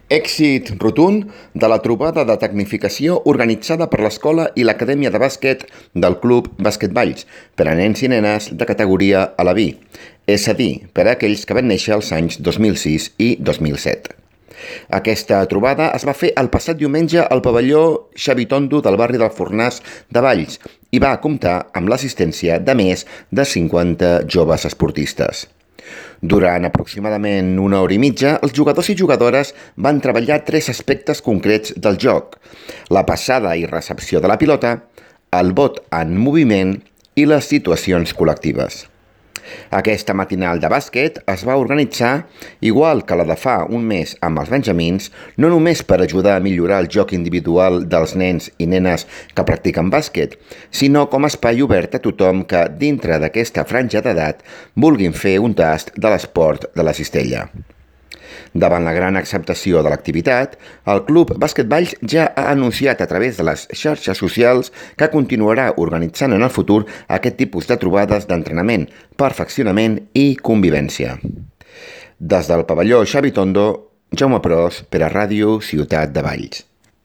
Èxit rotund de la trobada de tecnificació organitzada per l'Escola i l'Acadèmia de Bàsquet del Club Bàsquet Valls per a nens i nenes de categoria Aleví, és a dir, per a aquells que van néixer els anys 2006 i 2007. Aquesta trobada es va fer el passat diumenge al pavelló Xavi Tondo del barri del Fornàs de Valls i va comptar amb l'assistència de més de 50 joves esportistes. Durant aproximadament una hora i mitja, els jugadors i jugadores van treballar 3 aspectes concrets del joc: la passada i recepció de la pilota, el bot en moviment i les situacions col·lectives. Aquesta matinal de bàsquet es va organitzar, igual que la de fa un mes amb els benjamins, no només per ajudar a millorar el joc individual dels nens i nenes que practiquen bàsquet, sinó com a espai obert a tothom que, dintre d'aquesta franja d'edat, vulguin fer un tast de l'esport de la cistella. Davant la gran acceptació de l'activitat, el Club Bàsquet Valls ja ha anunciat a través de les xarxes socials que continuarà organitzant en el futur aquest tipus de trobades d'entrenament, perfeccionament i convivència. Des del pavelló Xavi Tondo, Jaume Pros per a Ràdio Ciutat de Valls.